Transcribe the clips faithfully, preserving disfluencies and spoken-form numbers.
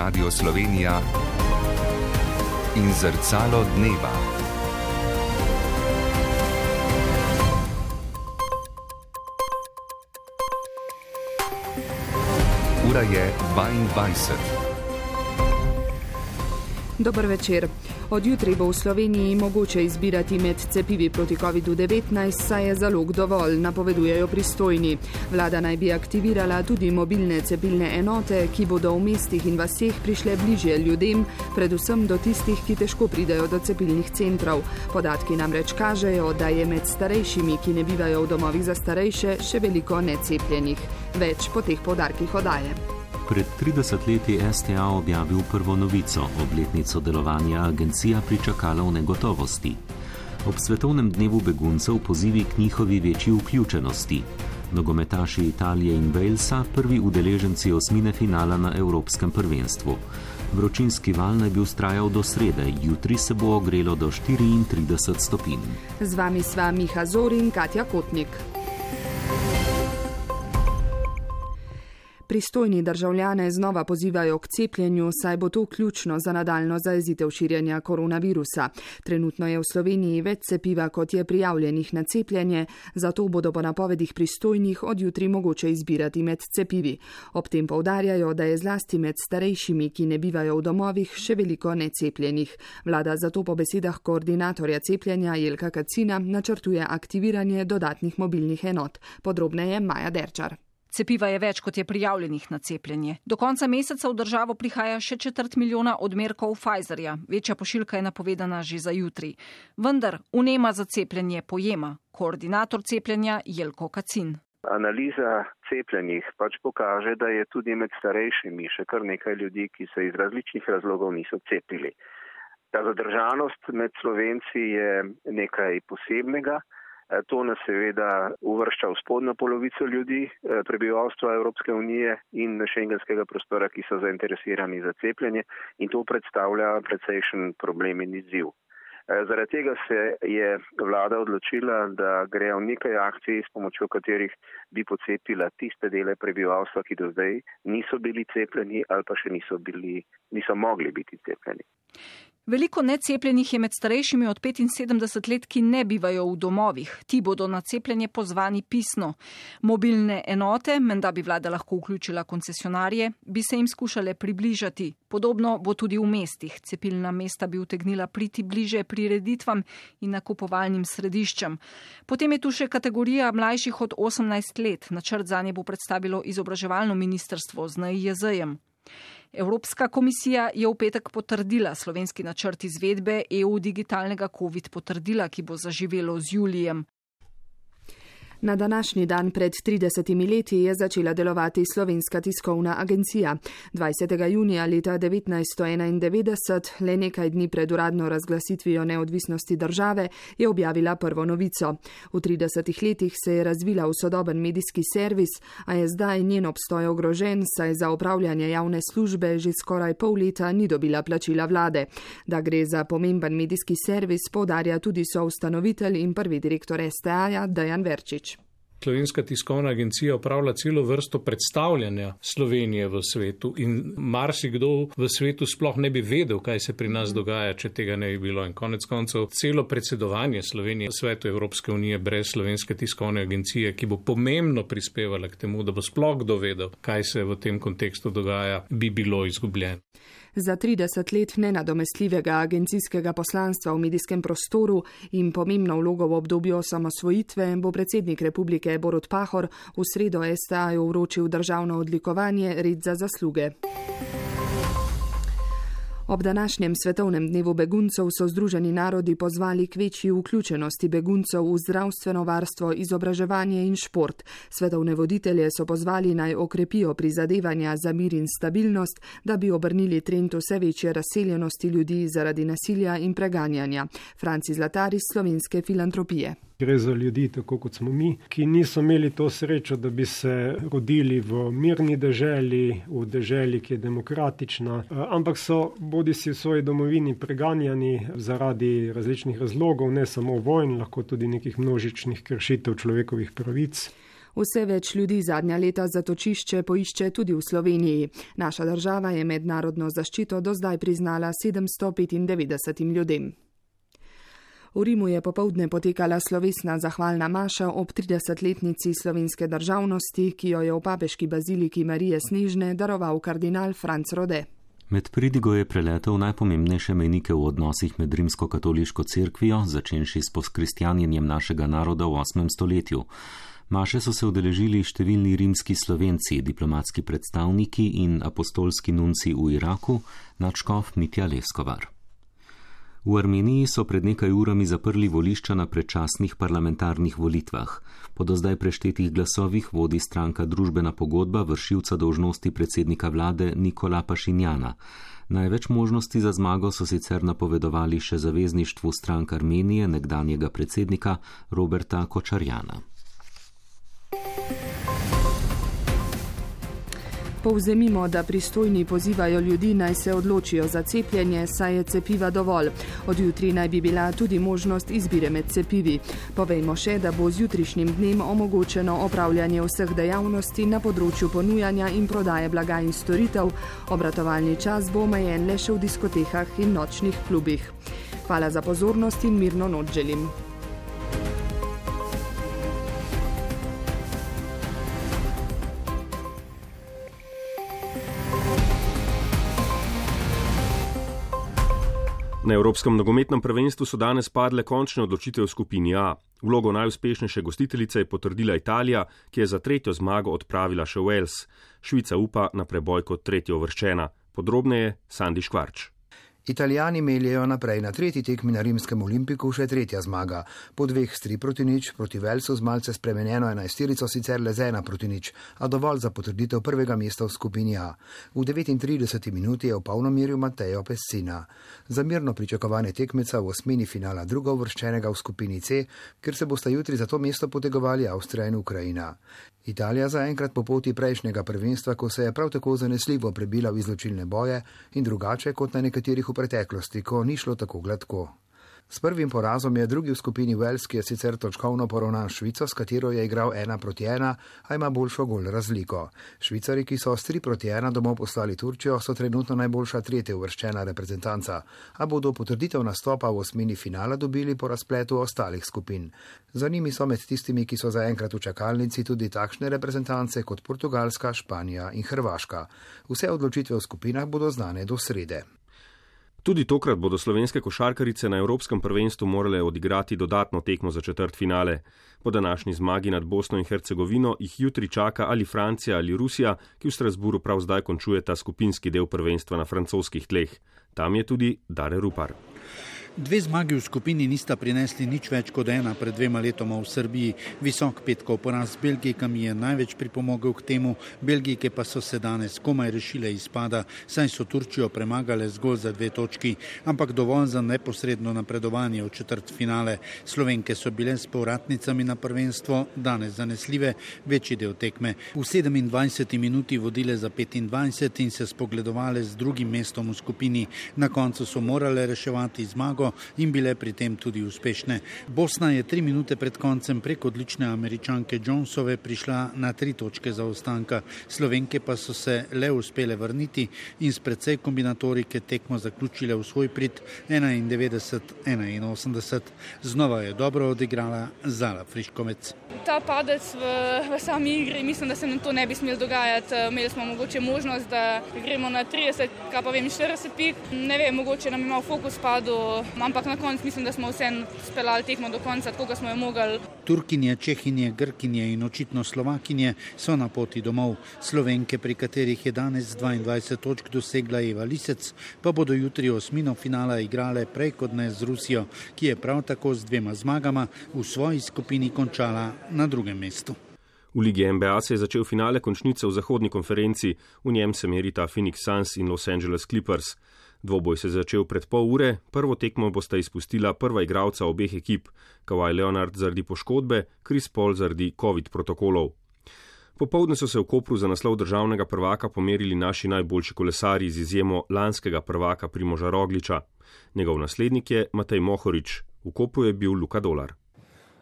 Radio Slovenija in Zrcalo dneva. Ura je dvaindvajset. Dober večer. Od jutri bo v Sloveniji mogoče izbirati med cepivi proti kovidu devetnajst, saj je zalog dovolj, napovedujejo pristojni. Vlada naj bi aktivirala tudi mobilne cepilne enote, ki bodo v mestih in vaseh prišle bližje ljudem, predvsem do tistih, ki težko pridejo do cepilnih centrov. Podatki namreč kažejo, da je med starejšimi, ki ne bivajo v domovih za starejše, še veliko necepljenih. Več po teh poudarkih oddaje. Pred trideset leti S T A objavil prvo novico, obletnico delovanja agencija pričakala v negotovosti. Ob svetovnem dnevu beguncev pozivi k njihovi večji vključenosti. Nogometaši Italije in Walesa, prvi udeleženci osmine finala na Evropskem prvenstvu. Vročinski val naj bi vztrajal do srede, jutri se bo ogrelo do štiriintrideset stopinj. Z vami sva Miha Zor in Katja Kotnik. Pristojni državljane znova pozivajo k cepljenju, saj bo to ključno za nadaljno zajezitev širjenja koronavirusa. Trenutno je v Sloveniji več cepiva, kot je prijavljenih na cepljenje, zato bodo po napovedih pristojnih od jutri mogoče izbirati med cepivi. Ob tem poudarjajo, da je zlasti med starejšimi, ki ne bivajo v domovih, še veliko necepljenih. Vlada zato po besedah koordinatorja cepljenja Jelka Kacina načrtuje aktiviranje dodatnih mobilnih enot. Podrobneje Maja Derčar. Cepiva je več, kot je prijavljenih na cepljenje. Do konca meseca v državo prihaja še četrt milijona odmerkov Pfizerja. Večja pošiljka je napovedana že za jutri. Vendar vnema za cepljenje pojema. Koordinator cepljenja Jelko Kacin. Analiza cepljenih pač pokaže, da je tudi med starejšimi še kar nekaj ljudi, ki se iz različnih razlogov niso cepili. Ta zadržanost med Slovenci je nekaj posebnega. To nas seveda uvršča v spodnjo polovico ljudi, prebivalstva Evropske unije in šengenskega prostora, ki so zainteresirani za cepljenje, in to predstavlja precejšen problem in izziv. Zaradi tega se je vlada odločila, da gre v nekaj akcij, s pomočjo katerih bi pocepila tiste dele prebivalstva, ki do zdaj niso bili cepljeni ali pa še niso, bili, niso mogli biti cepljeni. Veliko necepljenih je med starejšimi od petinsedemdeset let, ki ne bivajo v domovih. Ti bodo na cepljenje pozvani pisno. Mobilne enote, menda bi vlada lahko vključila koncesionarje, bi se jim skušale približati. Podobno bo tudi v mestih. Cepilna mesta bi utegnila priti bliže prireditvam in nakupovalnim središčem. Potem je tu še kategorija mlajših od osemnajst let. Načrt zanje bo predstavilo izobraževalno ministrstvo z N I J Z-jem. Evropska komisija je v petek potrdila slovenski načrt izvedbe E U digitalnega COVID potrdila, ki bo zaživelo z julijem. Na današnji dan pred tridesetimi leti je začela delovati Slovenska tiskovna agencija. dvajsetega junija leta devetnajststo enaindevetdeset, le nekaj dni pred uradno razglasitvijo neodvisnosti države, je objavila prvo novico. V tridesetih letih se je razvila v sodoben medijski servis, a je zdaj njen obstoj ogrožen, saj za opravljanje javne službe že skoraj pol leta ni dobila plačila vlade. Da gre za pomemben medijski servis, poudarja tudi soustanovitelj in prvi direktor S T A-ja Dejan Verčič. Slovenska tiskovna agencija opravlja celo vrsto predstavljanja Slovenije v svetu in marsikdo v svetu sploh ne bi vedel, kaj se pri nas dogaja, če tega ne bi bilo. In konec koncev celo predsedovanje Slovenije v svetu Evropske unije brez Slovenske tiskovne agencije, ki bo pomembno prispevala k temu, da bo sploh kdo vedel, kaj se v tem kontekstu dogaja, bi bilo izgubljeno. Za trideset let nenadomestljivega agencijskega poslanstva v medijskem prostoru in pomembno vlogo v obdobju osamosvojitve bo predsednik republike Borut Pahor v sredo S T A-ju vročil državno odlikovanje Red za zasluge. Ob današnjem svetovnem dnevu beguncev so Združeni narodi pozvali k večji vključenosti beguncev v zdravstveno varstvo, izobraževanje in šport. Svetovne voditelje so pozvali naj okrepijo prizadevanja za mir in stabilnost, da bi obrnili trend vse večje razseljenosti ljudi zaradi nasilja in preganjanja. Franci Zlatar iz Slovenske filantropije. Gre za ljudi, tako kot smo mi, ki niso imeli to srečo, da bi se rodili v mirni deželi, v deželi, ki je demokratična, ampak so bodi si v svoji domovini preganjani zaradi različnih razlogov, ne samo vojn, lahko tudi nekih množičnih kršitev človekovih pravic. Vse več ljudi zadnja leta zatočišče poišče tudi v Sloveniji. Naša država je mednarodno zaščito do zdaj priznala sedemsto petindevetdesetim ljudem. V Rimu je popoldne potekala slovesna zahvalna maša ob tridesetletnici slovenske državnosti, ki jo je v papeški baziliki Marije Snežne daroval kardinal Franc Rode. Med pridigo je preletel najpomembnejše mejnike v odnosih med rimsko-katoliško cerkvijo, začenši s poskristjanjenjem našega naroda v osmem stoletju. Maše so se udeležili številni rimski Slovenci, diplomatski predstavniki in apostolski nunci v Iraku, nadškof Mitja Leskovar. V Armeniji so pred nekaj urami zaprli volišča na predčasnih parlamentarnih volitvah. Po do zdaj preštetih glasovih vodi stranka Družbena pogodba vršilca dolžnosti predsednika vlade Nikola Pašinjana. Največ možnosti za zmago so sicer napovedovali še zavezništvu strank Armenije nekdanjega predsednika Roberta Kočarjana. Povzemimo, da pristojni pozivajo ljudi naj se odločijo za cepljenje, saj je cepiva dovolj. Od jutri naj bi bila tudi možnost izbire med cepivi. Povejmo še, da bo z jutrišnjim dnem omogočeno opravljanje vseh dejavnosti na področju ponujanja in prodaje blaga in storitev. Obratovalni čas bo omejen le še v diskotekah in nočnih klubih. Hvala za pozornost in mirno noč želim. Na Evropskem nogometnem prvenstvu so danes padle končne odločitve v skupini A. Vlogo najuspešnejše gostiteljice je potrdila Italija, ki je za tretjo zmago odpravila še Wales. Švica upa na preboj kot tretjo uvrščena. Podrobneje Sandi Škvarč. Italijani meljejo naprej na tretji tekmi na rimskem Olimpiku še tretja zmaga. Po dveh s tri proti nič proti Walesu z malce spremenjeno enajsterico sicer le z ena proti nič, a dovolj za potrditev prvega mesta v skupini A. V devetintrideseti minuti je v polnomerju Matteo Pessina. Za mirno pričakovanje tekmeca v osmini finala druga uvrščenega v skupini C, ker se bosta jutri za to mesto potegovali Avstrija in Ukrajina. Italija zaenkrat po poti prejšnjega prvenstva, ko se je prav tako zanesljivo prebila v izločilne boje in drugače kot na nekaterih v preteklosti, ko ni šlo tako gladko. S prvim porazom je drugi v skupini Wales, ki je sicer točkovno poravnan Švico, s katero je igral ena proti ena, a ima boljšo gol razliko. Švicari, ki so s tri proti ena domov poslali Turčijo, so trenutno najboljša tretja uvrščena reprezentanca, a bodo potrditev nastopa v osmini finala dobili po razpletu ostalih skupin. Za njimi so med tistimi, ki so zaenkrat v čakalnici, tudi takšne reprezentance kot Portugalska, Španija in Hrvaška. Vse odločitve v skupinah bodo znane do srede. Tudi tokrat bodo slovenske košarkarice na Evropskem prvenstvu morale odigrati dodatno tekmo za četrtfinale. Po današnji zmagi nad Bosno in Hercegovino jih jutri čaka ali Francija ali Rusija, ki v Strasburu prav zdaj končujeta skupinski del prvenstva na francoskih tleh. Tam je tudi Dare Rupar. Dve zmagi v skupini nista prinesli nič več kot ena pred dvema letoma v Srbiji. Visok petkov poraz Belgijkami je največ pripomogel k temu, Belgijke pa so se danes komaj rešile izpada, saj so Turčijo premagale zgolj za dve točki, ampak dovolj za neposredno napredovanje v četrtfinale. Slovenke so bile s povratnicami na prvenstvo danes zanesljive večji del tekme. V sedemindvajseti minuti vodile za petindvajset in se spogledovale z drugim mestom v skupini. Na koncu so morale reševati zmago in bile pri tem tudi uspešne. Bosna je tri minute pred koncem prek odlične Američanke Jonesove prišla na tri točke zaostanka. Slovenke pa so se le uspele vrniti in s precej kombinatorike tekmo zaključile v svoj prid enaindevetdeset enainosemdeset. Znova je dobro odigrala Zala Friškovec. Ta padec v, v sami igri, mislim, da se nam to ne bi smelo dogajati. Imeli smo mogoče možnost, da gremo na trideset, kaj pa vem, štirideset pik. Ne vem, mogoče nam je malo fokus padel, ampak na koncu mislim, da smo vsem speljali tekmo do konca, tako smo jo mogli. Turkinje, Čehinje, Grkinje in očitno Slovakinje so na poti domov. Slovenke, pri katerih je danes dvaindvajset točk dosegla Eva Lisec, pa bodo jutri osmino finala igrale prej kot ne z Rusijo, ki je prav tako z dvema zmagama v svoji skupini končala na drugem mestu. V Ligi N B A se je začel finale končnice v zahodni konferenci, v njem se merita Phoenix Suns in Los Angeles Clippers. Dvoboj se je začel pred pol ure, prvo tekmo bosta izpustila prva igralca obeh ekip, Kawhi Leonard zaradi poškodbe, Chris Paul zaradi COVID protokolov. Popoldne so se v Kopru za naslov državnega prvaka pomerili naši najboljši kolesarji z izjemo lanskega prvaka Primoža Rogliča. Njegov naslednik je Matej Mohorič, v Kopru je bil Luka Dolar.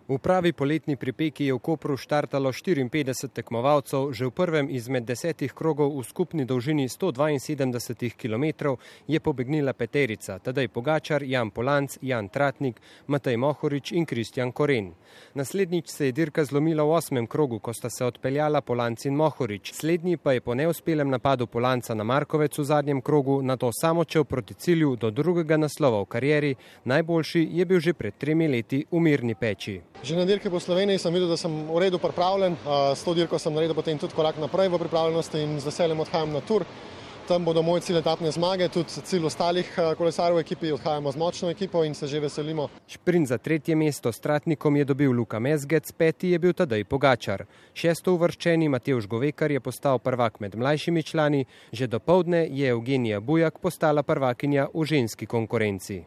V pravi poletni pripeki je v Kopru štartalo štiriinpetdeset tekmovalcev, že v prvem izmed desetih krogov v skupni dolžini sto dvainsedemdeset kilometrov je pobegnila peterica, Tadej Pogačar, Jan Polanc, Jan Tratnik, Matej Mohorič in Kristjan Koren. Naslednjič se je dirka zlomila v osmem krogu, ko sta se odpeljala Polanc in Mohorič. Slednji pa je po neuspelem napadu Polanca na Markovec v zadnjem krogu nato samočel proti cilju do drugega naslova v karieri, najboljši je bil že pred tremi leti v Mirni Peči. Že na dirki po Sloveniji sem videl, da sem v redu pripravljen. S to dirko sem naredil potem tudi korak naprej v pripravljenosti in z veseljem odhajam na tur. Tam bodo moj cilj etapne zmage, tudi cilj ostalih kolesarjev v ekipi, odhajamo z močno ekipo in se že veselimo. Šprint za tretje mesto s Tratnikom je dobil Luka Mezgec, peti je bil Tadej Pogačar. Šesto uvrščeni Matevž Govekar je postal prvak med mlajšimi člani, že dopoldne je Evgenija Bujak postala prvakinja v ženski konkurenci.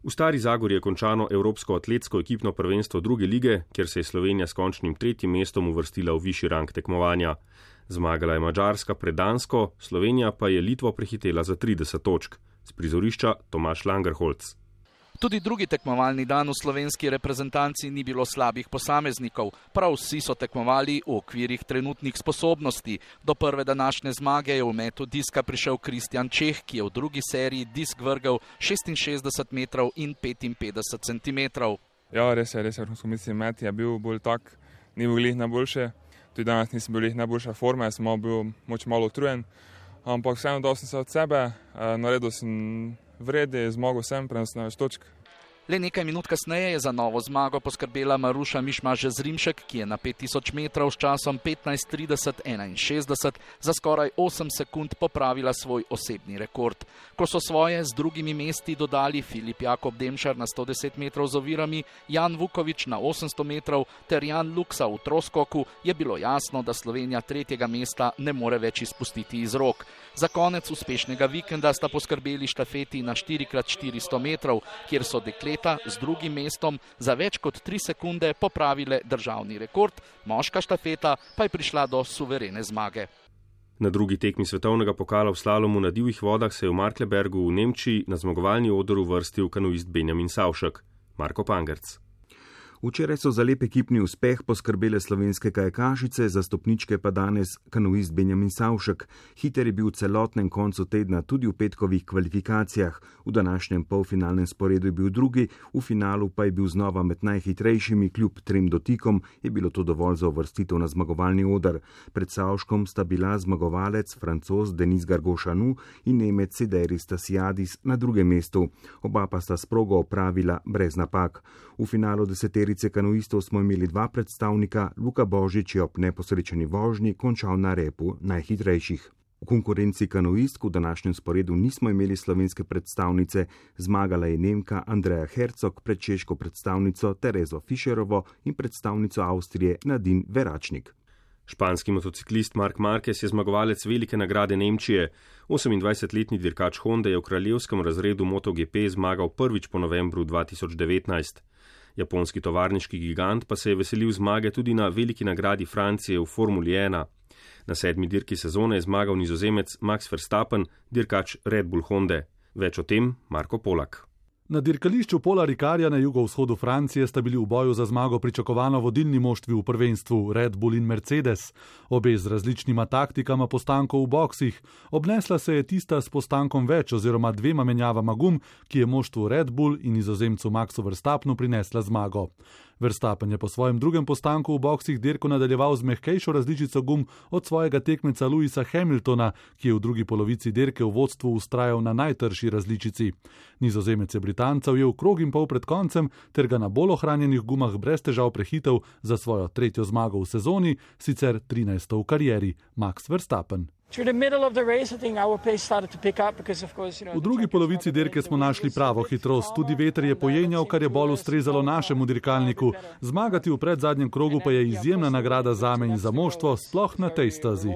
V Stari Zagori je končano Evropsko atletsko ekipno prvenstvo druge lige, kjer se je Slovenija s končnim tretjim mestom uvrstila v višji rang tekmovanja. Zmagala je Madžarska pred Dansko, Slovenija pa je Litvo prehitela za trideset točk. Z prizorišča Tomaž Langerholc. Tudi drugi tekmovalni dan v slovenski reprezentanci ni bilo slabih posameznikov. Prav vsi so tekmovali v okvirih trenutnih sposobnosti. Do prve današnje zmage je v metu diska prišel Kristjan Čeh, ki je v drugi seriji disk vrgel šestinšestdeset metrov in petinpetdeset centimetrov. Ja, res je, res je, vrhunsko mislim, met je bil bolj tak, ni bil glih najboljše. Tudi danes nisem bil glih najboljša forma, sem bil moč malo utrujen. Ampak vseeno dal sem se od sebe, naredil sem vredi, zmogel sem, prenosil na več točk. Le nekaj minut kasneje je za novo zmago poskrbela Maruša Mišmaš-Zrimšek, ki je na pet tisoč metrov s časom petnajst trideset enainšestdeset za skoraj osem sekund popravila svoj osebni rekord. Ko so svoje z drugimi mesti dodali Filip Jakob Demšar na sto deset metrov z ovirami, Jan Vukovič na osemsto metrov ter Jan Luksa v troskoku, je bilo jasno, da Slovenija tretjega mesta ne more več izpustiti iz rok. Za konec uspešnega vikenda sta poskrbeli štafeti na štiri krat štiristo metrov, kjer so dekleta z drugim mestom za več kot tri sekunde popravile državni rekord, moška štafeta pa je prišla do suverene zmage. Na drugi tekmi svetovnega pokala v slalomu na divjih vodah se je v Marklebergu v Nemčiji na zmagovalni oder uvrstil kanuist Benjamin Savšek. Marko Pangerc. Včeraj so za lep ekipni uspeh poskrbele slovenske kajakašice, za stopničke pa danes kanuist Benjamin Savšek. Hiter je bil v celotnem koncu tedna tudi v petkovih kvalifikacijah. V današnjem polfinalnem sporedu je bil drugi, v finalu pa je bil znova med najhitrejšimi, kljub trem dotikom je bilo to dovolj za uvrstitev na zmagovalni oder. Pred Savškom sta bila zmagovalec Francoz Denis Gargošanu in Nemec Sederi Stasiadis na drugem mestu. Oba pa sta sprogo opravila brez napak. V finalu deseteri kanuistov smo imeli dva predstavnika, Luka Božič je ob neposrečeni vožnji končal na repu najhitrejših. V konkurenci kanuistk v današnjem sporedu nismo imeli slovenske predstavnice, zmagala je Nemka Andreja Hercog pred češko predstavnico Terezo Fischerovo in predstavnico Avstrije Nadine Veračnik. Španski motociklist Marc Marquez je zmagovalec velike nagrade Nemčije. osemindvajsetletni dirkač Honda je v kraljevskem razredu MotoGP zmagal prvič po novembru dva tisoč devetnajst. Japonski tovarniški gigant pa se je veselil zmage tudi na veliki nagradi Francije v Formuli ena. Na sedmi dirki sezone je zmagal Nizozemec Max Verstappen, dirkač Red Bull Honde. Več o tem Marko Polak. Na dirkališču Pola Ricarja na jugovzhodu Francije sta bili v boju za zmago pričakovano vodilni moštvi v prvenstvu Red Bull in Mercedes. Obe z različnima taktikama postankov v boksih. Obnesla se je tista s postankom več oziroma dvema menjavama gum, ki je moštvu Red Bull in nizozemcu Maxu Verstappenu prinesla zmago. Verstappen je po svojem drugem postanku v boksih dirko nadaljeval z mehkejšo različico gum od svojega tekmeca Lewisa Hamiltona, ki je v drugi polovici dirke v vodstvu ustrajal na najtrši različici. Nizozemec je Britancev je v krog in pol pred koncem ter ga na bolj ohranjenih gumah brez težav prehitel za svojo tretjo zmago v sezoni, sicer trinajsto v karieri, Max Verstappen. V drugi polovici dirke smo našli pravo hitrost, tudi veter je pojenjal, kar je bolj ustrezalo našemu dirkalniku. Zmagati v predzadnjem krogu pa je izjemna nagrada zame in za moštvo, sploh na tej stazi.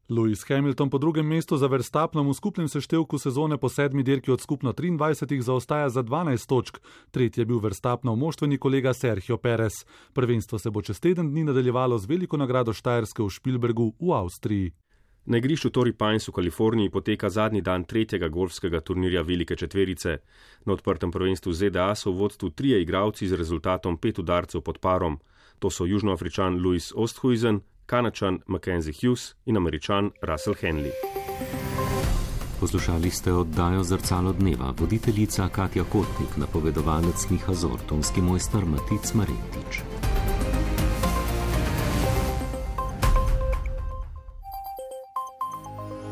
Lewis Hamilton po drugem mestu za Verstappenom v skupnem seštevku sezone po sedmi dirki od skupno triindvajsetih zaostaja za dvanajst točk. Tretji je bil Verstappenov moštveni kolega Sergio Perez. Prvenstvo se bo čez teden dni nadaljevalo z veliko nagrado Štajerske v Špilbergu v Avstriji. Na igrišču Torrey Pines v Kaliforniji poteka zadnji dan tretjega golfskega turnirja Velike četverice. Na odprtem prvenstvu Z D A so v vodstvu trije igralci z rezultatom pet udarcev pod parom. To so Južnoafričan Louis Oosthuizen, Kanačan Mackenzie Hughes in Američan Russell Henley. Poslušali ste oddajo Zrcalo dneva, voditeljica Katja Kotnik, napovedovalec Miha Zor, tonski mojster Matic Maretič.